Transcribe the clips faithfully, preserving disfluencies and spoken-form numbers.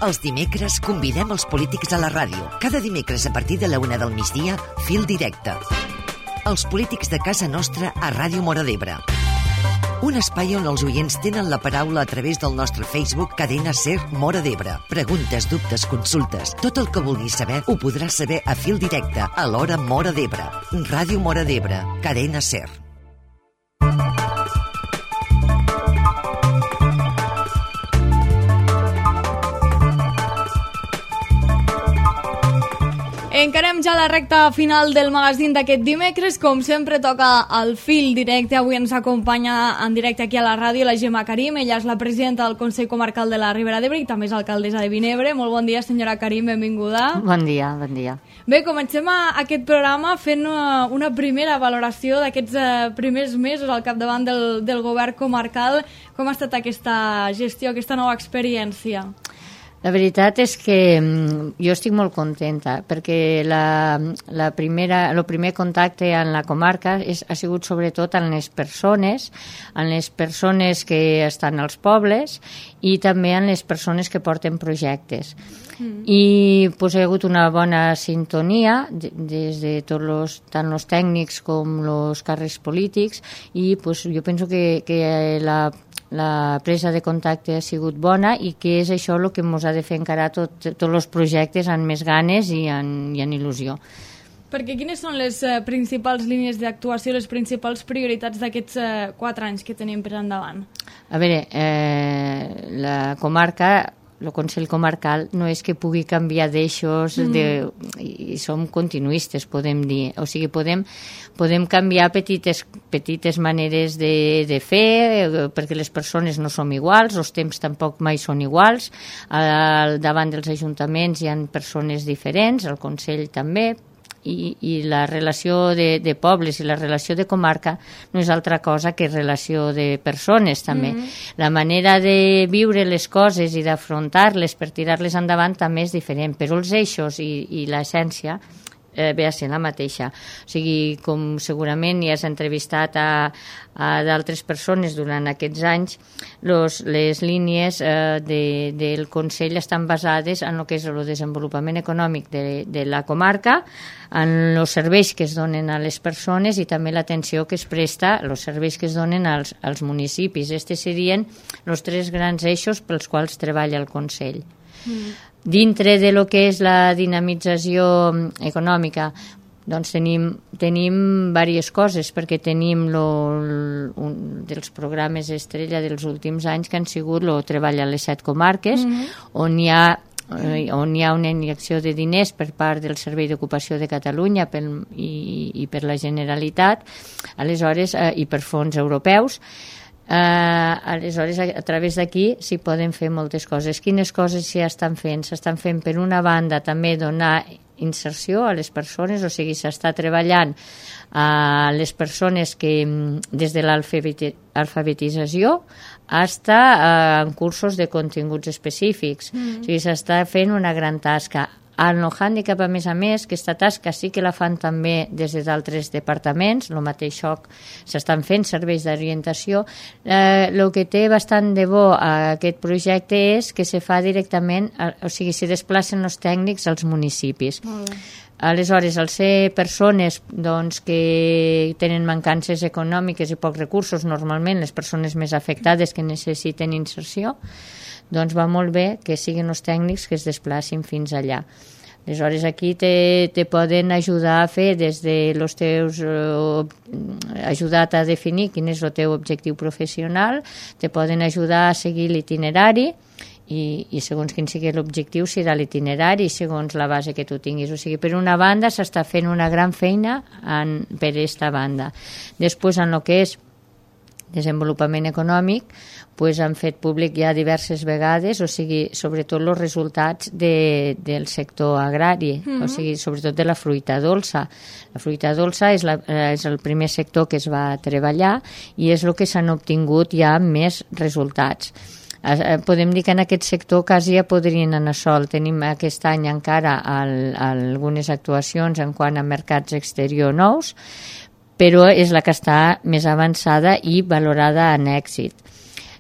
Els dimecres convidem els polítics a la ràdio. Cada dimecres a partir de la una del migdia, Fil Directe. Els polítics de casa nostra a Ràdio Móra d'Ebre. Un espai on els oients tenen la paraula a través del nostre Facebook Cadena Ser Móra d'Ebre. Preguntes, dubtes, consultes. Tot el que vulguis saber ho podràs saber a Fil Directe a l'hora Móra d'Ebre. Ràdio Móra d'Ebre. Cadena Ser. Encarem ja la recta final del magazín d'aquest dimecres. Com sempre toca el Fil Directe. Avui ens acompanya en directe aquí a la ràdio la Gemma Karim. Ella és la presidenta del Consell Comarcal de la Ribera d'Ebre i també és alcaldessa de Vinebre. Molt bon dia, senyora Karim, benvinguda. Bon dia, bon dia. Bé, comencem aquest programa fent una, una primera valoració d'aquests eh, primers mesos al capdavant del, del govern comarcal. Com ha estat aquesta gestió, aquesta nova experiència? La veritat és que jo estic molt contenta perquè la, la primera, el primer contacte en la comarca és, ha sigut sobretot en les persones, en les persones que estan als pobles i també en les persones que porten projectes. Mm. I pues, hi ha hagut una bona sintonia des de tots los, tant els tècnics com els càrrecs polítics i pues, jo penso que, que la la presa de contacte ha sigut bona i que és això el que ens ha de fer encarar tot, tots els projectes amb més ganes i en, i en il·lusió. Perquè quines són les eh, principals línies d'actuació, les principals prioritats d'aquests eh, quatre anys que tenim per endavant? A veure, eh, la comarca... el Consell Comarcal no és que pugui canviar d'eixos mm. de, i som continuistes, podem dir. O sigui, podem, podem canviar petites, petites maneres de, de fer, perquè les persones no som iguals, els temps tampoc mai són iguals. Al davant dels ajuntaments hi ha persones diferents, el Consell també, i, i la relació de, de pobles i la relació de comarca no és altra cosa que relació de persones també. Mm-hmm. La manera de viure les coses i d'afrontar-les per tirar-les endavant també és diferent, però els eixos i, i l'essència eh, ve a ser la mateixa. O sigui, com segurament ja has entrevistat a, a d'altres persones durant aquests anys, los, les línies eh, de, del Consell estan basades en el que és el desenvolupament econòmic de, de la comarca, en els serveis que es donen a les persones i també l'atenció que es presta, els serveis que es donen als, als municipis. Estos serien els tres grans eixos pels quals treballa el Consell. Mm. Dintre de lo que és la dinamització econòmica, doncs tenim, tenim diverses coses, perquè tenim lo, un dels programes estrella dels últims anys que han sigut el treball a les set comarques, mm-hmm. on hi ha on hi ha una injecció de diners per part del Servei d'Ocupació de Catalunya pel, i, i per la Generalitat, aleshores, eh, i per fons europeus. Uh, aleshores, a, a través d'aquí s'hi poden fer moltes coses. Quines coses s'hi estan fent? S'estan fent, per una banda, també donar inserció a les persones, o sigui, s'està treballant a les persones que des de l'alfabetització hasta uh, en cursos de continguts específics. Mm. O sigui, s'està fent una gran tasca. En el hàndicap, a més a més, aquesta tasca sí que la fan també des d'altres departaments, el mateix xoc s'estan fent serveis d'orientació. Eh, el que té bastant de bo a aquest projecte és que se fa directament, o sigui, se desplacen els tècnics als municipis. Mm. Aleshores, al ser persones doncs, que tenen mancances econòmiques i pocs recursos, normalment les persones més afectades que necessiten inserció, doncs va molt bé que siguin els tècnics que es desplacin fins allà. Aleshores, aquí te, te poden ajudar a fer des de los teus... Eh, ajudat a definir quin és el teu objectiu professional, te poden ajudar a seguir l'itinerari i, i segons quin sigui l'objectiu serà l'itinerari i segons la base que tu tinguis. O sigui, per una banda s'està fent una gran feina en, per aquesta banda. Després, en el que és desenvolupament econòmic, pues han fet públic ja diverses vegades, o sigui, sobretot els resultats de, del sector agrari, mm-hmm. o sigui, sobretot de la fruita dolça. La fruita dolça és, la, és el primer sector que es va treballar i és el que s'han obtingut ja més resultats. Podem dir que en aquest sector quasi ja podrien anar sol. Tenim aquest any encara el, algunes actuacions en quant a mercats exteriors nous, però és la que està més avançada i valorada en èxit.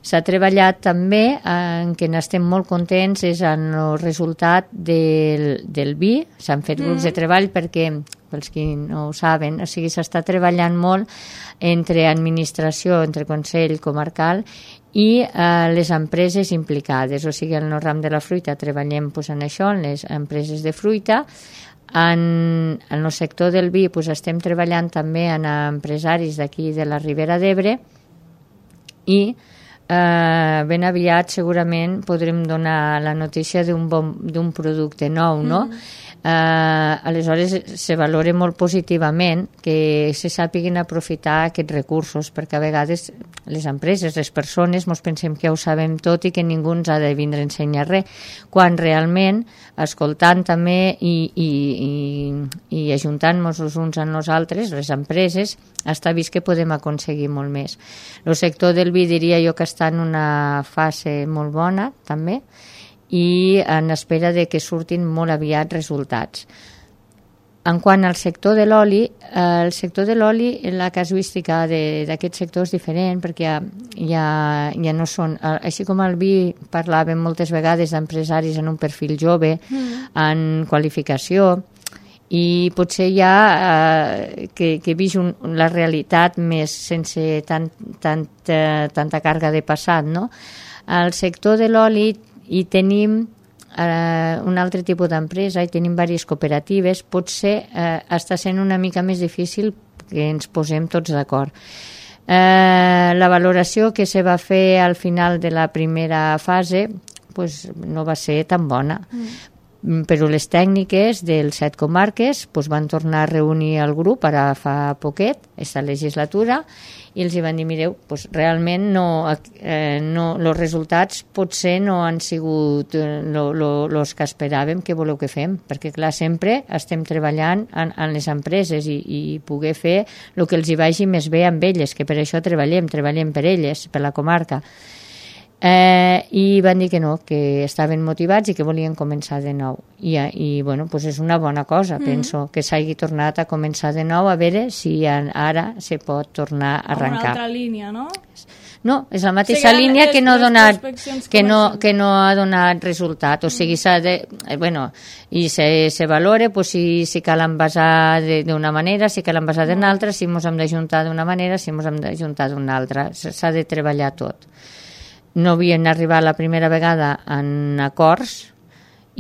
S'ha treballat també, en què n'estem molt contents, és en el resultat del, del vi. S'han fet grups mm. de treball perquè, pels qui no ho saben, o sigui, s'està treballant molt entre administració, entre Consell Comarcal i eh, les empreses implicades. O sigui, en el ram de la fruita treballem pues, en això, en les empreses de fruita. En, en el sector del vi pues, estem treballant també en empresaris d'aquí de la Ribera d'Ebre i Uh, ben aviat segurament podrem donar la notícia d'un bon, d'un producte nou, no? Mm. Uh, aleshores se valora molt positivament que se sàpiguin aprofitar aquests recursos, perquè a vegades les empreses, les persones ens pensem que ja ho sabem tot i que ningú ens ha de vindre a ensenyar res, quan realment escoltant també i, i, i, i ajuntant-nos els uns amb nosaltres, les empreses, està vist que podem aconseguir molt més. El sector del vi diria jo que està en una fase molt bona també, i en espera de que surtin molt aviat resultats. En quant al sector de l'oli, eh, el sector de l'oli, la casuística d'aquest sector és diferent perquè ja, ja, ja no són... Així com el vi parlàvem moltes vegades d'empresaris en un perfil jove, mm. en qualificació, i potser ja eh, que, que he vist un, la realitat més sense tant, tant, eh, tanta càrrega de passat, no? Al sector de l'oli i tenim eh, un altre tipus d'empresa i tenim diverses cooperatives, potser eh, està sent una mica més difícil que ens posem tots d'acord. Eh, la valoració que se va fer al final de la primera fase pues, no va ser tan bona. Mm. Però les tècniques dels set comarques pues, van tornar a reunir el grup ara fa poquet, aquesta legislatura, i els hi van dir, mireu, pues, realment no, eh, no, els resultats potser no han sigut els que esperàvem que voleu que fem, perquè clar, sempre estem treballant en, en les empreses i, i poder fer el que els hi vagi més bé amb elles, que per això treballem, treballem per elles, per la comarca. Eh, i van dir que no, que estaven motivats i que volien començar de nou i, i bueno, pues és una bona cosa, mm. penso que s'hagi tornat a començar de nou a veure si ara se pot tornar a arrencar. Una altra línia, no? No, és la mateixa sí, línia que no, ha donat, que, no, que no ha donat resultat, o sigui, s'ha de, eh, bueno, i se, se valora pues, si, si cal envasar d'una manera, si cal envasar d'una altra, si ens hem d'ajuntar d'una manera, si ens hem d'ajuntar d'una altra, s'ha de treballar tot. No havien arribat la primera vegada en acords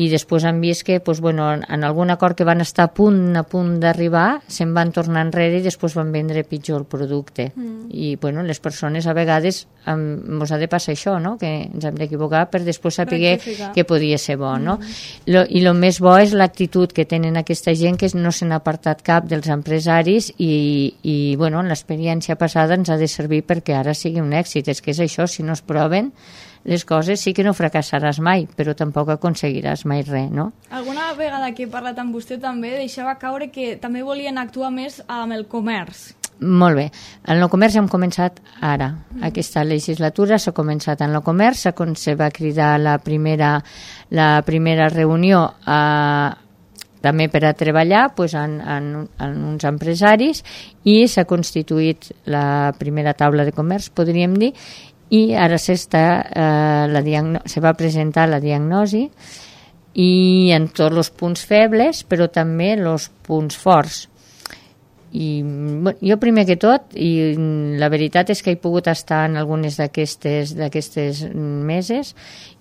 i després han vist que pues, bueno, en algun acord que van estar a punt a punt d'arribar se'n van tornar enrere i després van vendre pitjor el producte. Mm. I bueno, les persones a vegades ens ha de passar això, no? Que ens hem d'equivocar per després saber que podia ser bo. No? Mm. Lo, I el més bo és l'actitud que tenen aquesta gent, que no se n'ha apartat cap dels empresaris i, i bueno, l'experiència passada ens ha de servir perquè ara sigui un èxit. És que és això, si no es proven les coses sí que no fracassaràs mai, però tampoc aconseguiràs mai res, no? Alguna vegada que he parlat amb vostè també deixava caure que també volien actuar més amb el comerç. Molt bé. En el comerç hem començat ara. Mm. Aquesta legislatura s'ha començat en el comerç, se va cridar la primera, la primera reunió a també per a treballar pues, en, en, en uns empresaris i s'ha constituït la primera taula de comerç, podríem dir, i ara s'està, eh, la diagno- se va presentar la diagnosi i en tots els punts febles, però també els punts forts. I bueno, jo primer que tot, i la veritat és que he pogut estar en algunes d'aquestes d'aquestes meses,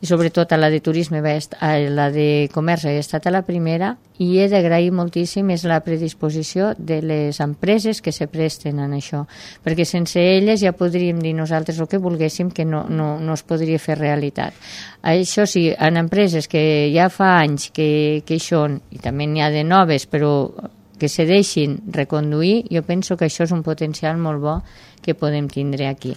i sobretot a la de turisme, a la de comerç he estat a la primera, i he d'agrair moltíssim és la predisposició de les empreses que se presten en això, perquè sense elles ja podríem dir nosaltres el que volguéssim que no, no, no es podria fer realitat. Això sí, en empreses que ja fa anys que, que hi són, i també n'hi ha de noves, però que se deixin reconduir, jo penso que això és un potencial molt bo que podem tindre aquí.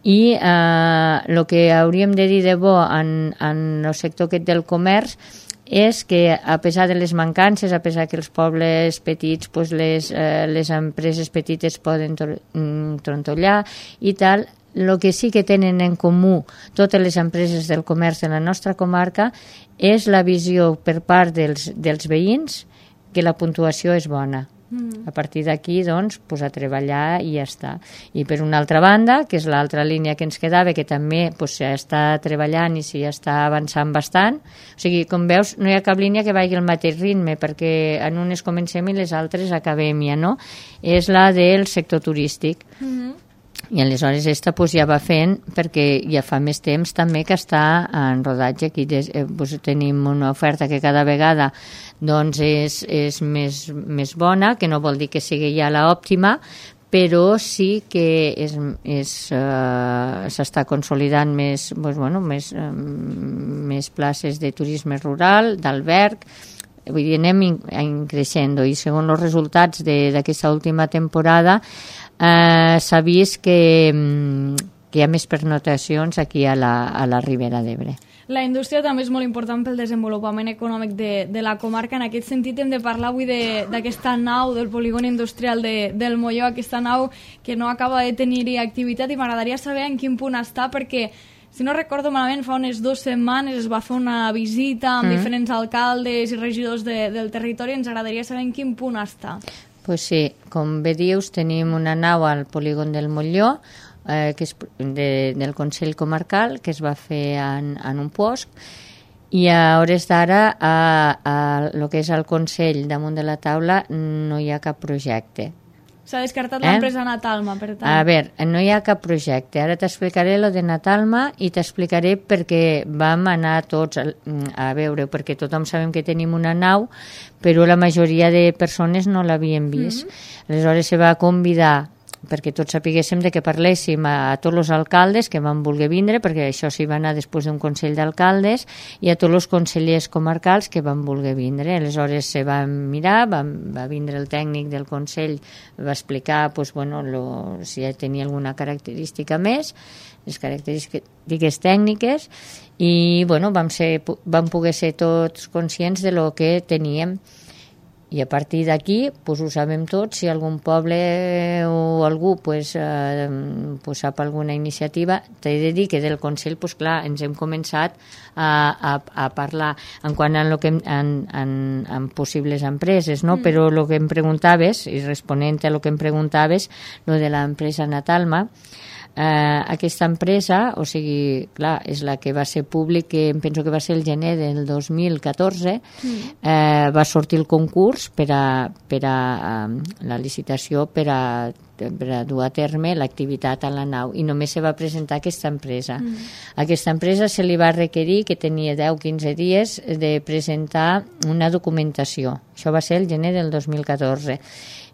I el eh, que hauríem de dir de bo en, en el sector aquest del comerç és que a pesar de les mancances, a pesar que els pobles petits, pues les, eh, les empreses petites poden trontollar i tal, el que sí que tenen en comú totes les empreses del comerç de la nostra comarca és la visió per part dels, dels veïns que la puntuació és bona. Mm. A partir d'aquí, doncs, pues, a treballar i ja està. I per una altra banda, que és l'altra línia que ens quedava, que també pues, s'està treballant i s'hi està avançant bastant, o sigui, com veus, no hi ha cap línia que vagi al mateix ritme, perquè en unes comencem i les altres acabem ja, no? És la del sector turístic. Mm-hmm. I aleshores esta pues, ja va fent, perquè ja fa més temps també que està en rodatge. Aquí des, eh, pues, tenim una oferta que cada vegada doncs, és, és més, més bona, que no vol dir que sigui ja l'òptima, però sí que és, és, uh, s'està consolidant més, pues, bueno, més, um, més places de turisme rural, d'alberg. Vull dir, anem in, in creixent, i segons els resultats d'aquesta última temporada eh, s'ha vist que, que hi ha més pernotacions aquí a la, a la Ribera d'Ebre. La indústria també és molt important pel desenvolupament econòmic de, de la comarca. En aquest sentit hem de parlar avui d'aquesta nau del polígon industrial de, del Molló, aquesta nau que no acaba de tenir-hi activitat, i m'agradaria saber en quin punt està, perquè si no recordo malament, fa unes dues setmanes es va fer una visita amb mm. diferents alcaldes i regidors de, del territori. Ens agradaria saber en quin punt està. Pues sí, com bé dius, tenim una nau al polígon del Molló, eh, que és de, del Consell Comarcal, que es va fer en, en un puosc, i a hores d'ara, a, a lo que és el Consell damunt de la taula, no hi ha cap projecte. S'ha descartat eh? l'empresa Natalma, per tant. A veure, no hi ha cap projecte. Ara t'explicaré lo de Natalma i t'explicaré perquè vam anar tots a, a veure, perquè tothom sabem que tenim una nau, però la majoria de persones no l'havien vist. Mm-hmm. Aleshores se va convidar, perquè tots sapiguéssim de que parléssim a, a tots els alcaldes que van voler vindre, perquè això s'hi va anar després d'un Consell d'Alcaldes, i a tots els consellers comarcals que van voler vindre. Aleshores se va mirar, va, va vindre el tècnic del Consell, va explicar pues, bueno, lo, si tenia alguna característica més, les característiques tècniques, i bueno, vam, ser, vam poder ser tots conscients de lo que teníem. I a partir d'aquí, pues, ho sabem tots, si algun poble o algú pues, eh, pues, sap alguna iniciativa, t'he de dir que del Consell, pues, clar, ens hem començat a, a, a parlar en quant a lo que hem, en, en, en possibles empreses, no? Mm. Però el que em preguntaves, i responent a lo que em preguntaves, lo de l'empresa Natalma, Uh, aquesta empresa, o sigui, clar, és la que va ser públic, que em penso que va ser el gener del dos mil catorze, mm. uh, va sortir el concurs per a, per a um, la licitació per a, per a dur a terme l'activitat a la nau, i només se va presentar aquesta empresa. Mm. Aquesta empresa se li va requerir, que tenia deu a quinze dies, de presentar una documentació. Això va ser el gener del dos mil catorze.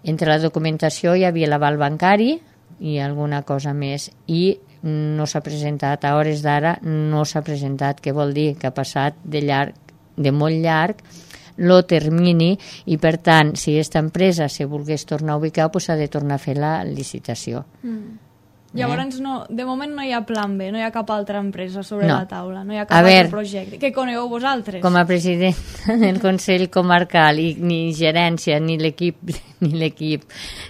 Entre la documentació hi havia l'aval bancari i alguna cosa més, i no s'ha presentat, a hores d'ara no s'ha presentat, que vol dir que ha passat de llarg, de molt llarg lo termini, i per tant, si aquesta empresa se volgués tornar a ubicar, pues ha de tornar a fer la licitació. Mm. Llavors, no, de moment no hi ha plan B, no hi ha cap altra empresa sobre no. la taula, no hi ha cap a altre ver, projecte. Què conegueu vosaltres? Com a president del Consell Comarcal, i ni gerència, ni l'equip ni l'equip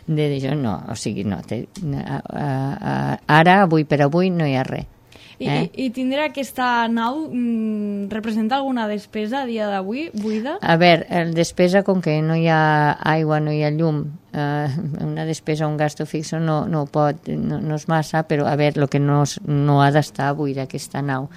de això, no, o sigui, no, te, a, a, a, ara, avui per avui, no hi ha res. I, eh? i, i tindrà aquesta nau mm, representa alguna despesa a dia d'avui, buida? A veure, el despesa, com que no hi ha aigua, no hi ha llum, eh, una despesa, un gasto fixo no, no pot, no, no és massa, però a veure, el que no, no ha d'estar buida aquesta nau.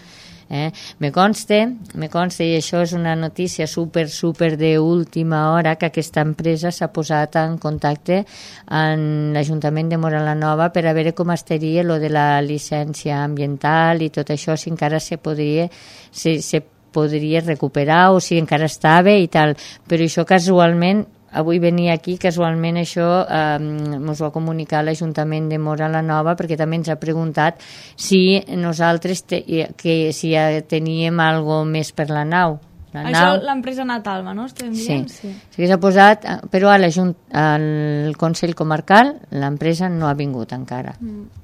Eh? Me consta, me consta, i això és una notícia super, super d'última hora, que aquesta empresa s'ha posat en contacte amb l'Ajuntament de Móra la Nova per a veure com estaria lo de la llicència ambiental i tot això, si encara se podria, se, se podria recuperar o si encara estava i tal. Però això casualment, avui venia aquí, casualment això eh, ens ho ha comunicat l'Ajuntament de Móra la Nova, perquè també ens ha preguntat si nosaltres te, que si ja teníem algo més per la nau. La això l'empresa Natalma, no? Estem dient? Sí, sí. sí s'ha posat, però a al Consell Comarcal l'empresa no ha vingut encara. Mm.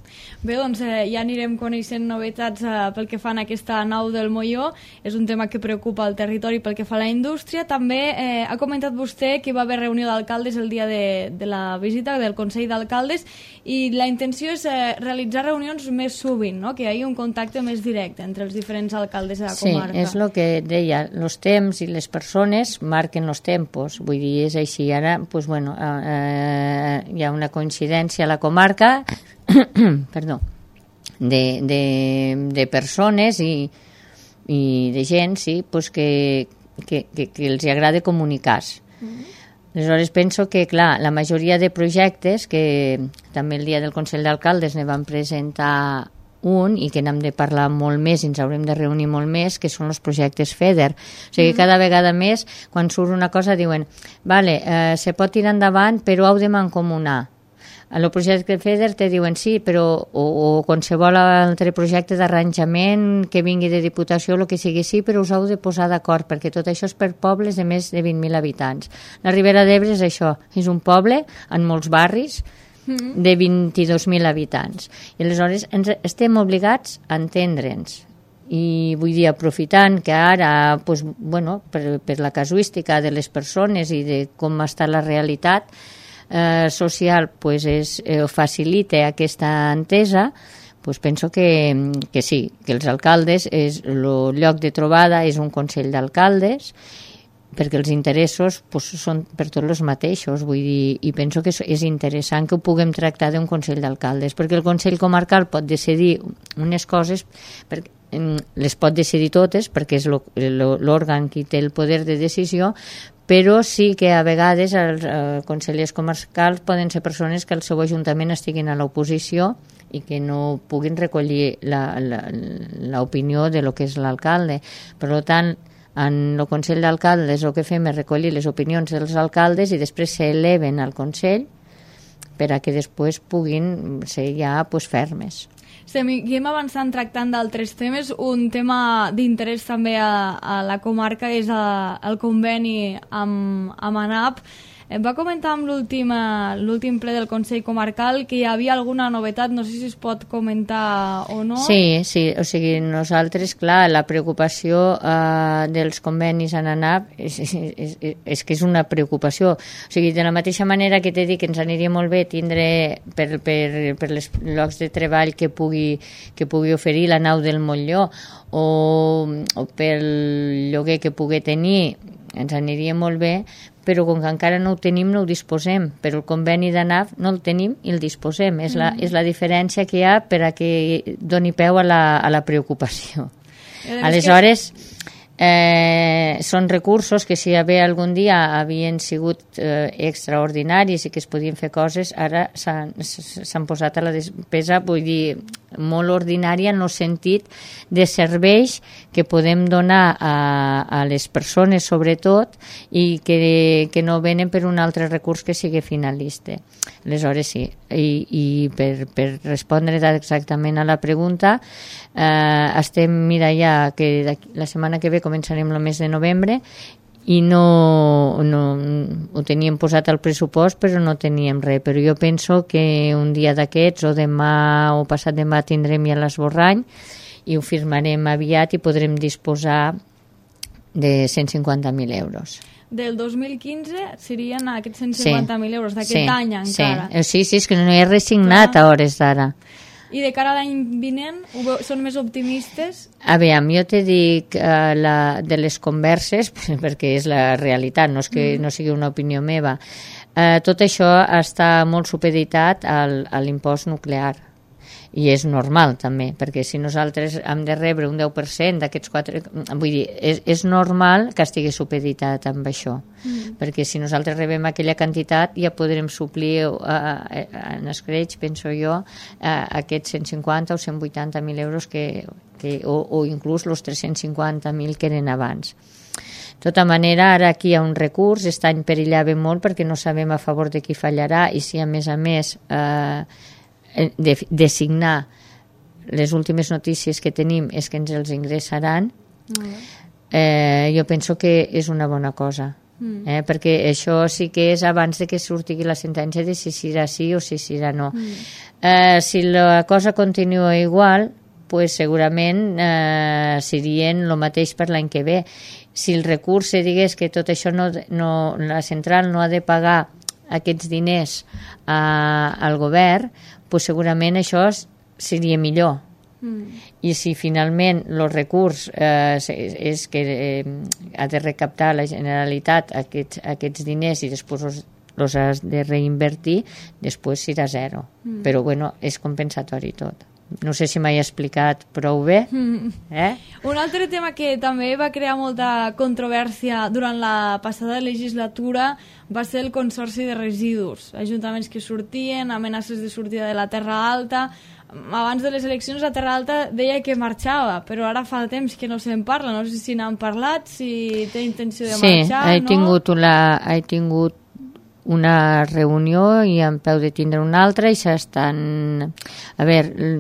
Bé, doncs eh, ja anirem coneixent novetats eh, pel que fa a aquesta nau del Molló. És un tema que preocupa el territori pel que fa a la indústria. També eh, ha comentat vostè que hi va haver reunió d'alcaldes el dia de, de la visita del Consell d'Alcaldes, i la intenció és eh, realitzar reunions més sovint, no? Que hi hagi un contacte més directe entre els diferents alcaldes de la comarca. Sí, és el que deia. Els els temps i les persones marquen els tempos, vull dir, és així. Ara, pues, bueno, eh, hi ha una coincidència a la comarca perdó, de, de, de persones i, i de gent, sí, pues, que, que, que, que els agrada comunicar-se. Mm-hmm. Aleshores penso que, clar, la majoria de projectes, que també el dia del Consell d'Alcaldes ne van presentar un i que n'hem de parlar molt més i ens haurem de reunir molt més, que són els projectes FEDER. O sigui, mm. cada vegada més, quan surt una cosa, diuen vale, eh, se pot tirar endavant, però heu de mancomunar. En el projecte FEDER te diuen sí, però o, o qualsevol altre projecte d'arranjament que vingui de Diputació, el que sigui, sí, però us heu de posar d'acord, perquè tot això és per pobles de més de vint mil habitants. La Ribera d'Ebre és això, és un poble en molts barris de vint-i-dos mil habitants. I aleshores ens estem obligats a entendre'ns. I vull dir, aprofitant que ara, pues, bueno, per, per la casuística de les persones i de com està la realitat, Eh, social, pues és, eh, facilita aquesta entesa, pues penso que, que sí, que els alcaldes és el lloc de trobada, és un consell d'alcaldes, perquè els interessos pues, són per tots els mateixos, vull dir, i penso que és interessant que ho puguem tractar d'un consell d'alcaldes, perquè el consell comarcal pot decidir unes coses, perquè les pot decidir totes, perquè és l'òrgan qui té el poder de decisió, però sí que a vegades els eh, consellers comarcals poden ser persones que al seu ajuntament estiguin a l'oposició i que no puguin recollir l'opinió de lo que és l'alcalde. Per tant, en el Consell d'Alcaldes el que fem és recollir les opinions dels alcaldes i després s'eleven al Consell per a que després puguin ser ja pues, fermes. Seguim avançant tractant d'altres temes. Un tema d'interès també a, a la comarca és a, el conveni amb, amb ANAP. Em va comentar amb l'últim ple del Consell Comarcal que hi havia alguna novetat, no sé si es pot comentar o no. Sí, sí, o sigui, nosaltres, clar, la preocupació eh, dels convenis en ANAP és, és, és, és que és una preocupació. O sigui, de la mateixa manera que t'he dit que ens aniria molt bé tindre per, per, per els llocs de treball que pugui, que pugui oferir la nau del Montllor o, o pel lloguer que pugui tenir, ens aniria molt bé, però com que encara no ho tenim, no ho disposem. Però el conveni d'ANAP no el tenim i el disposem. És la, és la diferència que hi ha per a que doni peu a la, a la preocupació. Aleshores, eh, són recursos que si bé algun dia havien sigut eh, extraordinaris i que es podien fer coses, ara s'han posat a la despesa, vull dir, molt ordinària en el sentit de serveis que podem donar a, a les persones sobretot i que, que no venen per un altre recurs que sigui finalista. Aleshores sí, i, i per, per respondre exactament a la pregunta, eh, estem, mira ja que la setmana que ve començarem el mes de novembre i no, no ho teníem posat al pressupost però no teníem res, però jo penso que un dia d'aquests o demà o passat demà tindrem ja l'esborrany i ho firmarem aviat i podrem disposar de cent cinquanta mil euros. Del dos mil quinze serien aquests cent cinquanta mil sí, euros d'aquest sí, any encara. Sí, sí, és que no hi ha resignat Clar. A hores d'ara. I de cara a l'any vinent, són més optimistes? A veure, jo te dic uh, la, de les converses, perquè és la realitat, no és que mm. no sigui una opinió meva. Uh, tot això està molt supeditat al, a l'impost nuclear. I és normal també, perquè si nosaltres hem de rebre un deu per cent d'aquests quatre... Vull dir, és, és normal que estigui supeditat amb això, mm. perquè si nosaltres rebem aquella quantitat ja podrem suplir uh, en escreix, penso jo, uh, aquests cent cinquanta o cent vuitanta mil euros que, que, o, o inclús els tres-cents cinquanta mil que eren abans. De tota manera, ara aquí hi ha un recurs, aquest any perillava molt perquè no sabem a favor de qui fallarà i si a més a més... Eh, de, de signar les últimes notícies que tenim és que ens els ingressaran, mm. eh, jo penso que és una bona cosa, mm. eh, perquè això sí que és abans de que surti la sentència de si serà sí o si serà no. Mm. Eh, si la cosa continua igual, pues segurament eh, serien el mateix per l'any que ve. Si el recurs se digués que tot això no, no, la central no ha de pagar aquests diners a, al govern, pues segurament això seria millor, Mm. I si finalment el recurs eh, és que eh, ha de recaptar la Generalitat aquests, aquests diners i després els, els has de reinvertir, després serà zero. Mm. Però bueno, és compensatori tot. No sé si m'he explicat prou bé. Mm. Eh? Un altre tema que també va crear molta controvèrsia durant la passada legislatura va ser el Consorci de Residus. Ajuntaments que sortien, amenaces de sortida de la Terra Alta. Abans de les eleccions la Terra Alta deia que marxava, però ara fa temps que no se'n parla. No sé si n'han parlat, si té intenció de sí, marxar, he no? Tingut una, he tingut una reunió i en peu de tindre una altra i s'estan... A veure,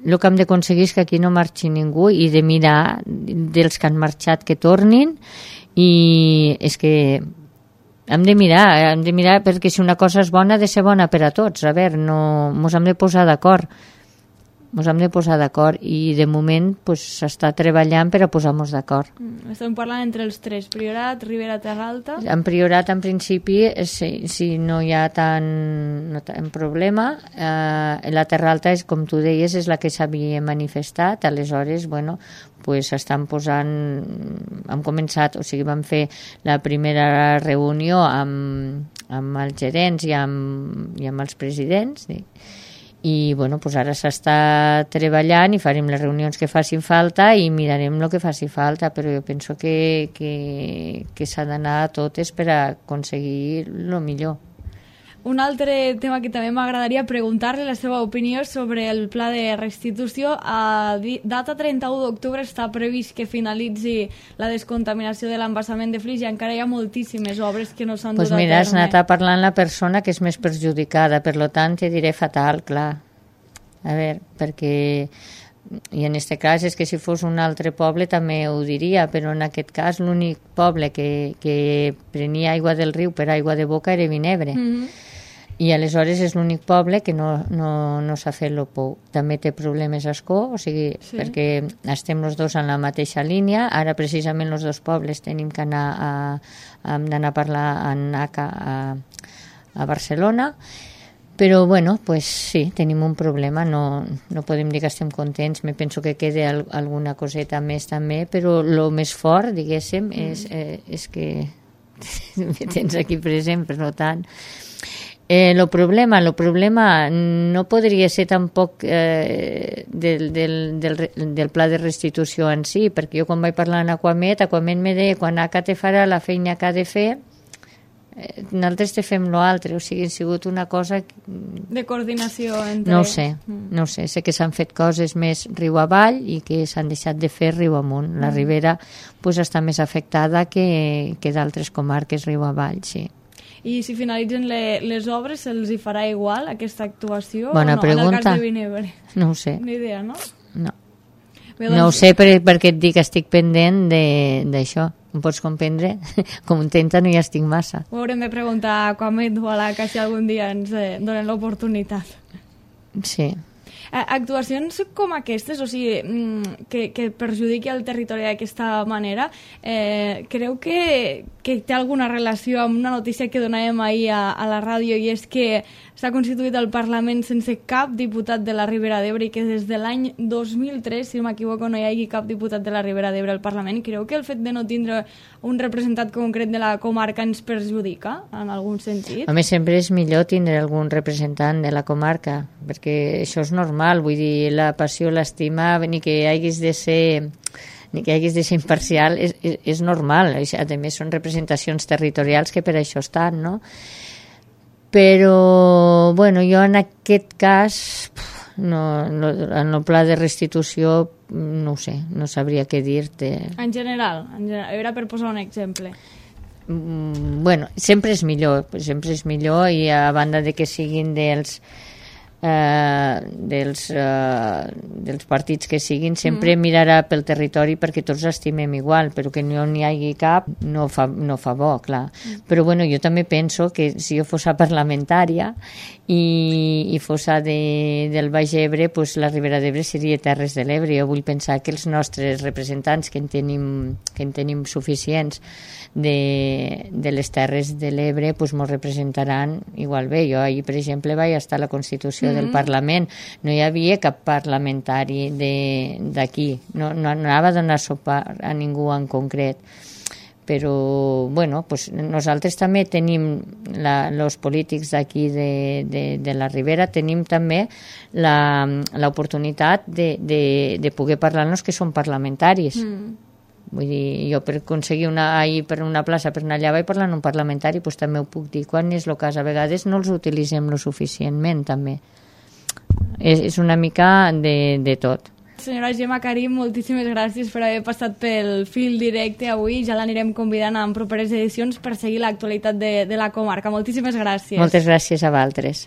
el que hem d'aconseguir és que aquí no marxi ningú i de mirar dels que han marxat que tornin, i és que hem de mirar, hem de mirar perquè si una cosa és bona ha de ser bona per a tots. A veure, no, mos hem de posar d'acord. Ens hem de posar d'acord i de moment s'està pues, treballant per a posar-nos d'acord. Mm, estem parlant entre els tres, Priorat, Ribera, Terra Alta. En Priorat, en principi, si, si no hi ha tant, no tant problema, eh, la Terra Alta, és, com tu deies, és la que s'havia manifestat, aleshores, bueno, pues estan posant, hem començat, o sigui, vam fer la primera reunió amb, amb els gerents i amb, i amb els presidents, sí. I bueno, pues ara s'està treballant i farem les reunions que facin falta i mirarem el que faci falta, però jo penso que, que, que s'ha d'anar a totes per a aconseguir el millor. Un altre tema que també m'agradaria preguntar-li la seva opinió sobre el pla de restitució. A data trenta-u d'octubre està previst que finalitzi la descontaminació de l'embassament de Flix i encara hi ha moltíssimes obres que no s'han pues dut a terme. Doncs mira, has anat a parlar amb la persona que és més perjudicada, per tant te diré fatal, clar. A veure, perquè... I en aquest cas és que si fos un altre poble també ho diria, però en aquest cas l'únic poble que, que prenia aigua del riu per aigua de boca era Vinebre. Mm-hmm. I aleshores és l'únic poble que no, no, no s'ha fet el pou. També té problemes a Escó, o sigui, sí. Perquè estem els dos en la mateixa línia. Ara precisament els dos pobles tenim que anar a, a, d'anar a parlar en A C A a, a Barcelona. Però, bueno, pues sí, tenim un problema, no, no podem dir que estem contents, me penso que queda al, alguna coseta més també, però el més fort, diguéssim, mm. és, eh, és que me tens aquí present, per tant... Eh, el problema, el problema no podria ser tampoc eh, del, del, del, del pla de restitució en si, perquè jo quan vaig parlar amb Aquamet, Aquamet me deia quan A C A te farà la feina que ha de fer, eh, nosaltres te fem l'altre, o sigui, ha sigut una cosa... De coordinació entre... No ho sé, no ho sé, sé que s'han fet coses més riu avall i que s'han deixat de fer riu amunt. La mm. Ribera pues, està més afectada que, que d'altres comarques riu avall, sí. I si finalitzen le, les obres, se'ls hi farà igual aquesta actuació? Bona o no? pregunta. En el cas de Vinebre. No ho sé. Ni idea, no? No. Bé, doncs... No ho sé per, perquè et dic que estic pendent d'això. Em pots comprendre? Com intenta no hi estic massa. Ho haurem de preguntar a Aquamet o a l'A C A si algun dia ens eh, donen l'oportunitat. Sí. Actuacions com aquestes, o sigui, que, que perjudiqui el territori d'aquesta manera, eh, creu que, que té alguna relació amb una notícia que donàvem ahir a, a la ràdio, i és que s'ha constituït el Parlament sense cap diputat de la Ribera d'Ebre i que des de l'any dos mil tres, si no m'equivoco, no hi hagi cap diputat de la Ribera d'Ebre al Parlament. Creu que el fet de no tindre un representant concret de la comarca ens perjudica en algun sentit? Home, sempre és millor tindre algun representant de la comarca, perquè això és normal, vull dir, la passió, l'estima, ni que haguis de ser... ni que haguis de ser imparcial, és, és, és normal. A més, són representacions territorials que per això estan, no? Però, bueno, jo en aquest cas, no, no, en el pla de restitució, no ho sé, no sabria què dir-te. En general, en general, era per posar un exemple. Mm, bueno, sempre és millor, sempre és millor, i a banda de que siguin dels... Eh, dels, eh, dels partits que siguin, sempre mm. mirarà pel territori perquè tots estimem igual, però que no n'hi hagi cap no fa, no fa bo, clar. Mm. Però bueno, jo també penso que si jo fos parlamentària i, i fossa de, del Baix Ebre, pues, la Ribera d'Ebre seria Terres de l'Ebre. Jo vull pensar que els nostres representants, que en tenim, que en tenim suficients de, de les Terres de l'Ebre, pues, mos representaran igual bé. Jo ahir, per exemple, vaig estar a la Constitució mm-hmm. del Parlament. No hi havia cap parlamentari d'aquí. No, no anava a donar suport a ningú en concret. Però, bueno, pues nosaltres també tenim, els polítics d'aquí de, de, de la Ribera, tenim també l'oportunitat de, de, de poder parlar-nos que som parlamentaris. Mm. Vull dir, jo per aconseguir una, ahir per una plaça, per anar allà, vaig parlar en un parlamentari, doncs també ho puc dir. Quan és el cas? A vegades no els utilitzem lo suficientment, també. És, és una mica de, de tot. Senyora Gemma Karim, moltíssimes gràcies per haver passat pel fil directe avui. Ja l'anirem convidant en properes edicions per seguir l'actualitat de, de la comarca. Moltíssimes gràcies. Moltes gràcies a vosaltres.